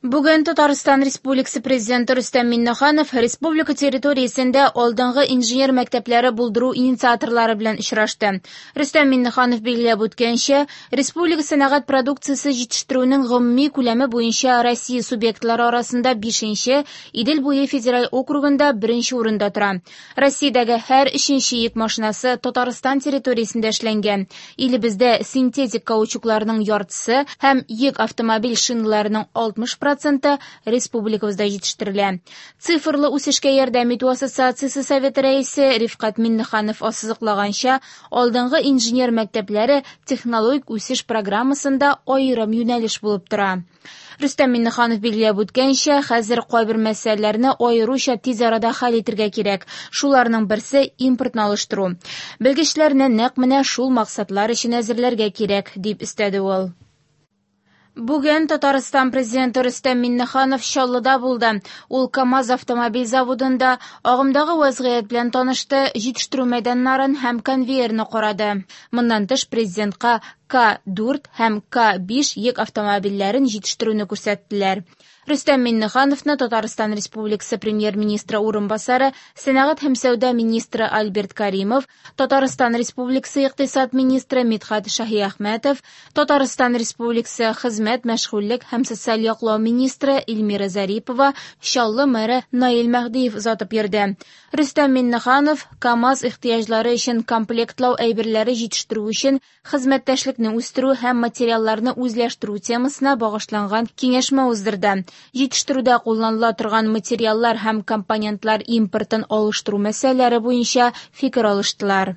Бүген Татарстан Республикасы Президенты Рөстәм Миңнеханов республика территориясендә алдынгы инженер мәктәпләре булдыру инициаторлары белән очрашты. Рөстәм Миңнеханов билгеләп үткәнчә, республика сәнәгать продукциясе җитештерүнең гомуми күләме буенча Россия субъектлары арасында бишенче, Идел буе федераль округында беренче урында тора. Россиядәге һәр өченче йөк машинасы Татарстан территориясендә эшләнгән. Илебездә синтетик каучукларның яртысы һәм йөк автомобиль шиналарының 60 проценты республикабызда җитештерелә. Цифрлы үсешкә ярдәм итү ассоциациясе советы рәисе Рифкать Миннеханов ассызыклаганча, алдынгы инженер мәктәпләре технологик үсеш программасында аерым юнәлеш булып тора. Рөстәм Миңнеханов билгеләп үткәнчә, хәзер кайбер мәсьәләләрне аеруча тиз арада хәл итергә кирәк. Шуларның берсе импортны алыштыру. Белгечләрне нәкъ менә шул максатлар өчен әзерләргә кирәк, дип өстәде ул. Бүген Татарстан Президенты Рөстәм Миңнеханов Чаллыда булды. Ул КАМАЗ автомобиль заводында агымдагы вәзгыять белән танышты, җитештерү мәйданнарын һәм конвейерны карады. Моннан тыш, Президентка К-4 һәм К-5 йөк автомобильләрен җитештерүне күрсәттеләр. Рөстәм Миңнехановны Татарстан Республикасы Премьер-министры урынбасары, сәнәгать һәм сәүдә министры Альберт Каримов, Татарстан Республикасы икътисад министры Мидхәт Шаһиәхмәтов, Татарстан Республикасы хезмәт, мәшгульлек һәм социаль яклау министры Эльмира Зарипова, Чаллы мэры Наил Мәһдиев озатып йөрде. Рөстәм Миңнеханов КАМАЗ ихтыяҗлары өчен комплектлау әйберләре җитештерү өчен хезмәттәшлекне үстерү һәм материалларны үзләштерү темасына багышланган киңәшмә уздырды. Җитештерүдә кулланыла торган материаллар һәм компонентлар импортын алыштыру мәсьәләләре буенча фикер алыштылар.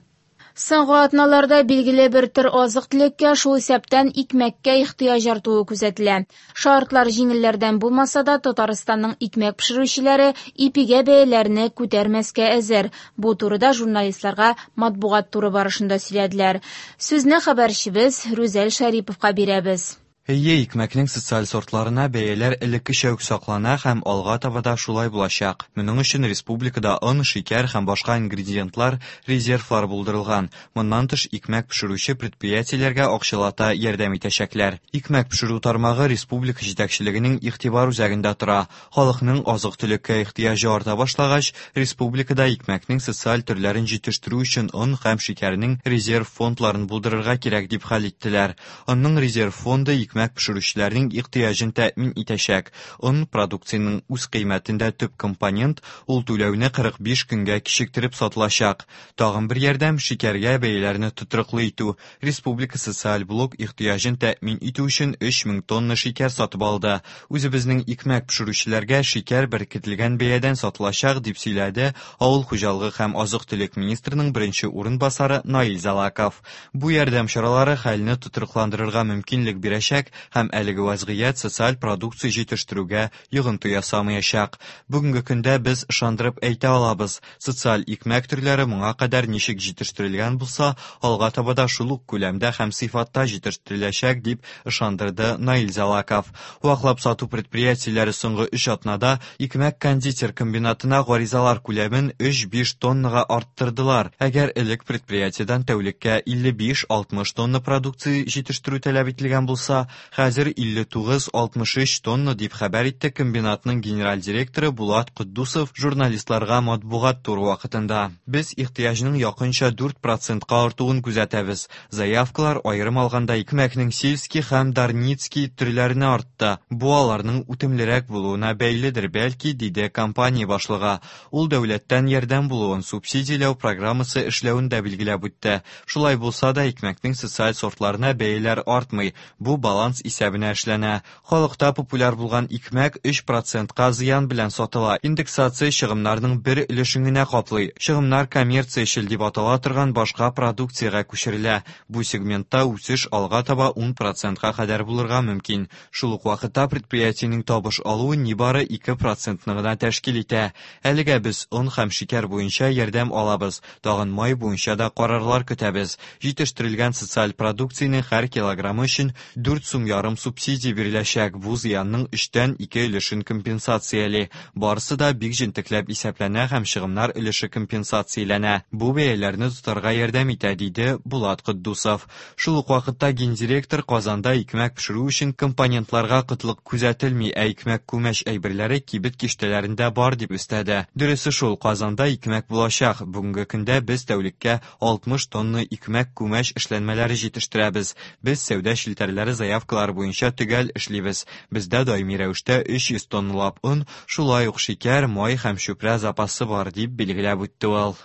Соңгы атналарда билгеле бер төр азык-төлеккә, шул исәптән икмәккә ихтыяҗ артуы күзәтелә. Шартлар җиңелләрдән булмаса да, Татарстанның икмәк пешерүчеләре ипигә бәяләрне күтәрмәскә әзер. Бу турыда журналистларга матбугат туры барышында сөйләделәр. Сүзне хәбәрчебез Рүзәл Шәриповка бирәбез. Әйе, икмәкнең социаль сортларына бәяләр элеккечә үк саклана һәм алга таба да шулай булачак. Моның өчен республикада он, шикәр һәм башка ингредиентлар резервлары булдырылган. Моннан тыш, икмәк пешерүче предприятиеләргә акчалата ярдәм итәчәкләр. Икмәк пешерү тармагы республика җитәкчелегенең игътибар үзәгендә тора. Халыкның азык-төлеккә ихтыяҗы арта башлагач, республикада икмәкнең социаль төрләрен җитештерү өчен он һәм шикәрнең резерв фондларын булдырырга кирәк дип хәл иттеләр. Онның резерв фонды икмәк пешерүчеләрнең ихтыяҗын тәэмин итәчәк. Он, продукциянең үзкыйммәтендә төп компонент, ул түләүне 45 көнгә кичектереп сатылачак. Тагын бер ярдәм, шикәргә бәяләрне тотрыклы итү. Республика социаль блок ихтыяҗын тәэмин итү өчен 3000 тонна шикәр сатып алды. Үзебезнең икмәк пешерүчеләргә шикәр беркетелгән бәядән сатылачак, дип сөйләде авыл хуҗалыгы һәм азык-төлек министрының беренче урынбасары Наил Залаков. Бу ярдәм чаралары хәлне тотрыкландырырга мөмкинлек бирәчәк һәм әлеге вазгыять социаль продукция җитештерүгә йогынты ясамаячак. Бүгенге көндә без ышандырып әйтә алабыз, социаль икмәк төрләре моңа кадәр ничек җитештерелгән булса, алга таба да шул ук күләмдә һәм сыйфатта җитештереләчәк, дип ышандырды Наил Залаков. Ваклап сату предприятиеләре соңгы өч атнада икмәк-кондитер комбинатына гаризалар күләмен 3-5 тоннага арттырдылар. Әгәр элек предприятиедән тәүлеккә 55-60 тонна продукция җитештерү таләп ителгән булса, Хәзер 59, 63 тонна, дип хәбәр итте комбинатның генераль директоры Булат Котдусов журналистларга матбугат туры вакытында. Без ихтыяҗның якынча 4 процентка артуын күзәтәбез. Заявкалар, аерым алганда, икмәкнең сельский һәм дарницкий төрләренә артты. Бу аларның үтемлерәк булуына бәйледер, бәлки, диде компания башлыгы. Ул дәүләттән ярдәм булуын, субсидияләү программасы эшләвен дә билгеләп үтте. Шулай булса да, икмәкнең социаль сортларына бәяләр артмый, бу баланс исәбенә эшләнә. Халыкта популяр булган икмәк 3 процентка зыян белән сатыла. Индексация чыгымнарның бер өлешен генә каплый. Чыгымнар коммерциячел дип атала торган башка продукциягә күчерелә. Бу сегментта үсеш алга таба 10 процентка кадәр булырга мөмкин. Шул ук вакытта предприятиенең табыш алуы нибары 2 процентны гына тәшкил итә. Әлегә без он һәм шикәр буенча ярдәм алабыз, тагын май буенча да карарлар көтәбез. Җитештерелгән социаль продукциянең һәр килограммы өчен 4 сум ярым субсидия биреләчәк, бу зыянның өчтән ике өлешен компенсацияли. Барысы да бик җентекләп исәпләнә һәм чыгымнар өлеше компенсацияләнә. Бу бәяләрне тотарга ярдәм итә, диде Булат Котдусов. Шул ук вакытта гендиректор Казанда икмәк пешерү өчен компонентларга кытлык күзәтелми, ә икмәк-күмәч әйберләре кибет киштәләрендә бар дип өстәде. Дөресе шул, Казанда икмәк булачак. Бүгенге көндә без тәүлеккә 60 тонна икмәк-күмәч эшләнмәләре җитештерәбез. Без сәүдә челтәрләре заявкалары буенча төгәл эшлибез. Бездә даими рәвештә 300 тонналап он, шулай ук шикәр, май һәм чүпрә запасы бар, дип билгеләп үтте ул.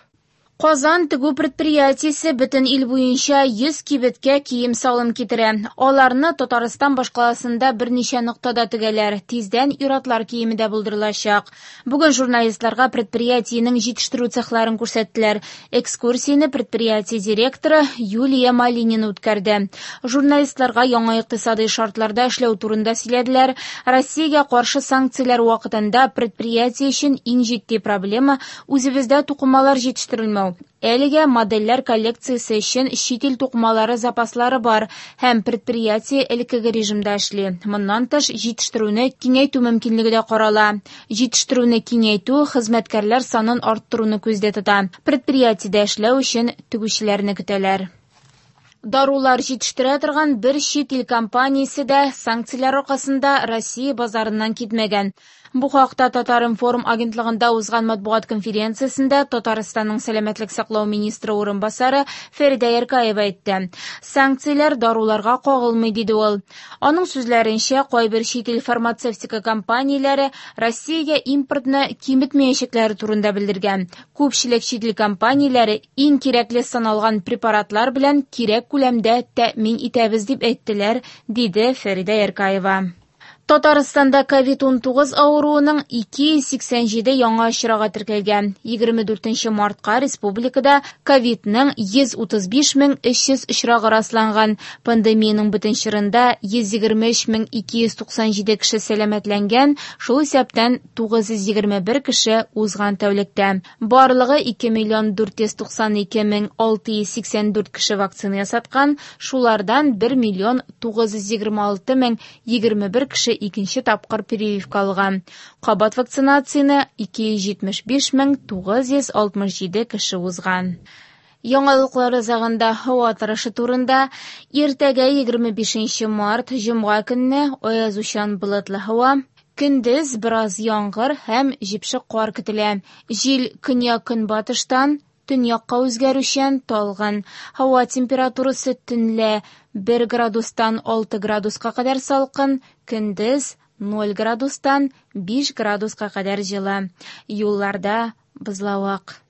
Казан тегү предприятиесе бөтен ил буенча 100 кибеткә кием-салым китерә. Аларны Татарстан башкаласында берничә ноктада тегәләр. Тиздән ир-атлар киеме дә булдырылачак. Бүген журналистларга предприятиенең җитештерү цехларын күрсәттеләр. Экскурсияне предприятие директоры Юлия Малинина үткәрде. Журналистларга яңа икътисадый шартларда эшләү турында сөйләделәр. Россиягә каршы санкцияләр вакытында предприятие өчен иң җитди проблема үзебездә тукымалар җитештерелмәү. Әлегә модельләр коллекциясе өчен чит ил тукымалары запаслары бар һәм предприятие элеккеге режимда эшли. Моннан тыш, җитештерүне киңәйтү мөмкинлеге дә карала. Җитештерүне киңәйтү хезмәткәрләр санын арттыруны күздә тота. Предприятиедә эшләү өчен тегүчеләрне көтәләр. Дарулар җитештерә торган бер чит ил компаниясе дә санкцияләр аркасында Россия базарыннан китмәгән. Бу хакта Татар-информ агентлыгында узган матбугат конференциясендә Татарстанның сәламәтлек саклау министры урынбасары Фәридә Яркаева әйтте. Санкцияләр даруларга кагылмый, диде ул. Аның сүзләренчә, кайбер чит ил фармацевтика компанияләре Россиягә импортны киметмәячәкләре турында белдергән. Күпчелек чит ил компанияләре иң кирәкле саналган препаратлар белән кирәк күләмдә тәэмин итәбез дип әйттеләр, диде Фәридә Яркаева. Татарстанда COVID-19 авыруының 287 яңа очрагы теркәлгән. 24 мартка республикада ковидның 135 300 очрагы расланган. Пандемиянең бөтен чорында 123 297 кеше сәламәтләнгән, шул исәптән 921 кеше узган тәүлектә. Барлыгы 2 миллион 492 мең 684 кеше вакцина ясаткан, шулардан 1 миллион 926 мең 21 кеше икенче тапкыр прививка алган. Кабат вакцинацияне 275 мең 967 кеше узган. Яңалыклар азагында һава торышы турында. Иртәгә 25 март, җомга көнне аязучан болытлы һава. Көндез бераз яңгыр һәм җепшек кар көтелә. Җил көньяк-көнбатыштан төньякка үзгәрүчән, талгын. Һава температурасы төнлә 1 градустан 6 градуска кадәр салкын, көндез 0 градустан 5 градуска кадәр җылы. Юлларда бозлавык.